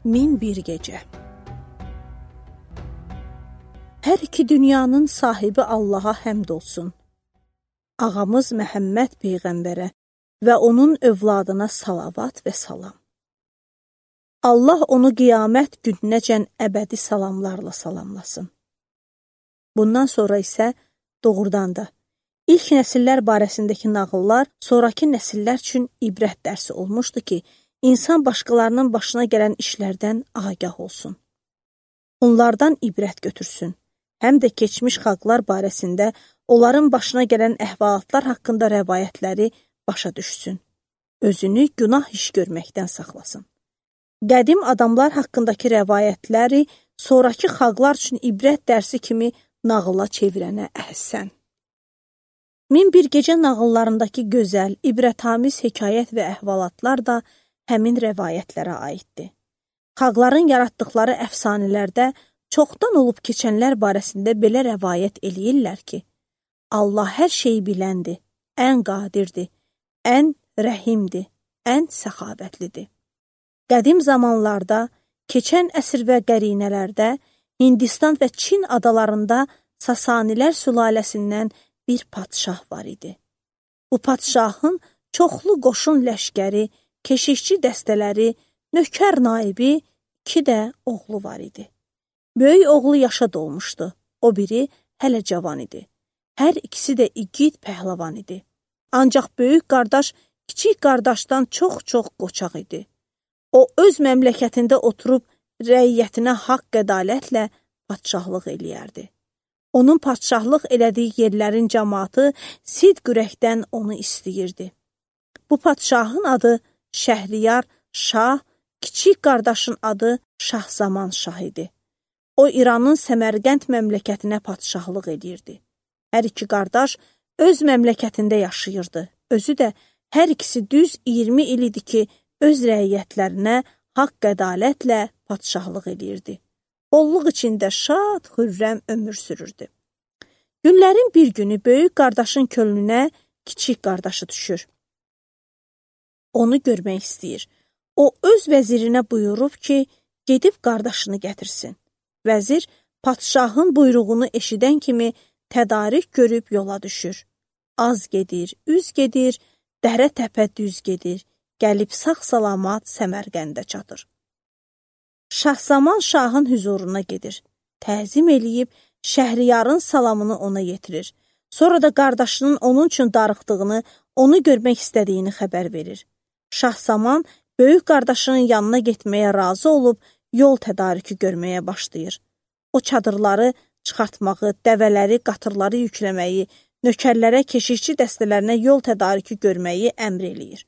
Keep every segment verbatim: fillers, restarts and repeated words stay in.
Min bir gecə. Hər iki dünyanın sahibi Allaha həmd olsun. Ağamız Məhəmməd Peyğəmbərə və onun övladına salavat və salam. Allah onu qiyamət gününəcən əbədi salamlarla salamlasın. Bundan sonra isə doğrudan da ilk nəsillər barəsindəki nağıllar sonraki nəsillər üçün ibrət dərsi olmuşdu ki, insan başqalarının başına gələn işlərdən agah olsun. Onlardan ibrət götürsün. Həm də keçmiş xalqlar barəsində onların başına gələn əhvalatlar haqqında rəvayətləri başa düşsün. Özünü günah iş görməkdən saxlasın. Qədim adamlar haqqındakı rəvayətləri sonraki xalqlar üçün ibrət dərsi kimi nağıla çevirənə əhsən. Min bir gecə nağıllarındakı gözəl, ibrətamiz hekayət və əhvalatlar da həmin rəvayətlərə aiddir. Xalqların yaratdıqları əfsanələrdə çoxdan olub keçənlər barəsində belə rəvayət eləyirlər ki, Allah hər şeyi biləndir, ən qadirdir, ən rəhimdir, ən səxavətlidir. Qədim zamanlarda, keçən əsr və qərinələrdə Hindistan və Çin adalarında Sasanilər sülaləsindən bir padşah var idi. Bu padşahın çoxlu qoşun ləşkəri, keşikçi dəstələri, nökər naibi, iki də oğlu var idi. Böyük oğlu yaşa dolmuşdu, o biri hələ cavan idi. Hər ikisi də igid pəhləvan idi. Ancaq böyük qardaş kiçik qardaşdan çox-çox qoçaq idi. O, öz məmləkətində oturub rəiyyətinə haqq ədalətlə padşahlıq eləyərdi. Onun padşahlıq elədiyi yerlərin cəmaatı sidq ürəkdən onu istəyirdi. Bu padşahın adı Şəhriyar Şah, kiçik qardaşın adı Şahzaman Şah idi. O, İranın Səmərqənd məmləkətinə padşahlıq edirdi. Hər iki qardaş öz məmləkətində yaşayırdı. Özü də hər ikisi düz iyirmi il idi ki, öz rəiyyətlərinə haqq ədalətlə padşahlıq edirdi. Bolluq içində şad, xürrəm ömür sürürdü. Günlərin bir günü böyük qardaşın könlünə kiçik qardaşı düşür. Onu görmək istəyir. O, öz vəzirinə buyurub ki, gedib qardaşını gətirsin. Vəzir, padşahın buyruğunu eşidən kimi tədarik görüb yola düşür. Az gedir, üz gedir, dərə təpə düz gedir, gəlib sağ-salamat Səmərqəndə çatır. Şahzaman Şahın hüzuruna gedir. Təzim eləyib, Şəhriyarın salamını ona yetirir. Sonra da qardaşının onun üçün darıxdığını, onu görmək istədiyini xəbər verir. Şahzaman böyük qardaşının yanına getməyə razı olub, yol tədarükü görməyə başlayır. O çadırları çıxartmağı, dəvələri, qatırları yükləməyi, nökərlərə, keşikçi dəstələrinə yol tədarükü görməyi əmr eləyir.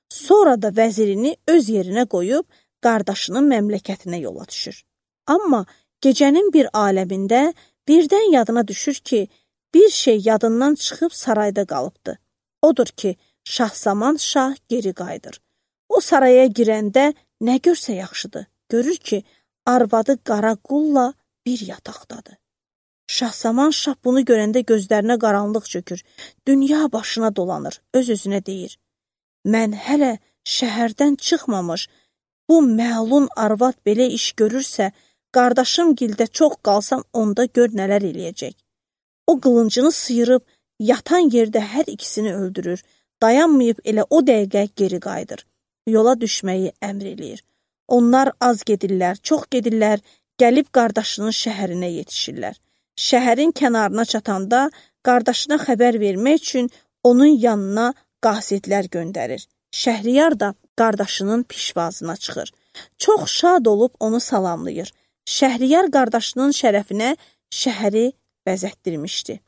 Sonra da vəzirini öz yerinə qoyub, qardaşının məmləkətinə yola düşür. Amma gecənin bir aləmində birdən yadına düşür ki, bir şey yadından çıxıb sarayda qalıbdı. Odur ki, Şahzaman Şah geri qayıdır. O saraya girəndə nə görsə yaxşıdır. Görür ki, arvadı qara qulla bir yataqdadır. Şahzaman Şah bunu görəndə gözlərinə qaranlıq çökür. Dünya başına dolanır, öz-özünə deyir. Mən hələ şəhərdən çıxmamış, bu məlun arvad belə iş görürsə, qardaşım gildə çox qalsam onda gör nələr eləyəcək. O qılıncını sıyırıb, yatan yerdə hər ikisini öldürür. Dayanmayıb elə o dəqiqə geri qayıdır. Yola düşməyi əmr eləyir. Onlar az gedirlər, çox gedirlər, gəlib qardaşının şəhərinə yetişirlər. Şəhərin kənarına çatanda qardaşına xəbər vermək üçün onun yanına qasidlər göndərir. Şəhriyar da qardaşının pişvazına çıxır. Çox şad olub onu salamlayır. Şəhriyar qardaşının şərəfinə şəhəri bəzətdirmişdi.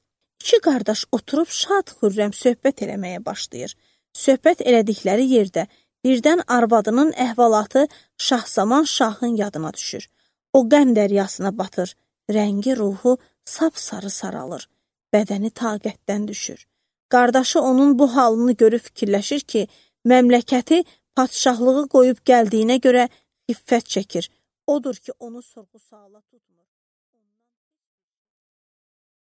İki qardaş oturub şad xürrəm söhbət eləməyə başlayır. Söhbət elədikləri yerdə birdən arvadının əhvalatı Şahzaman Şahın yadına düşür. O qəm dəryasına batır, rəngi ruhu sapsarı saralır, bədəni taqətdən düşür. Qardaşı onun bu halını görüb fikirləşir ki, məmləkəti padşahlığı qoyub gəldiyinə görə xiffət çəkir. Odur ki, onu sorğu-suala tutmur.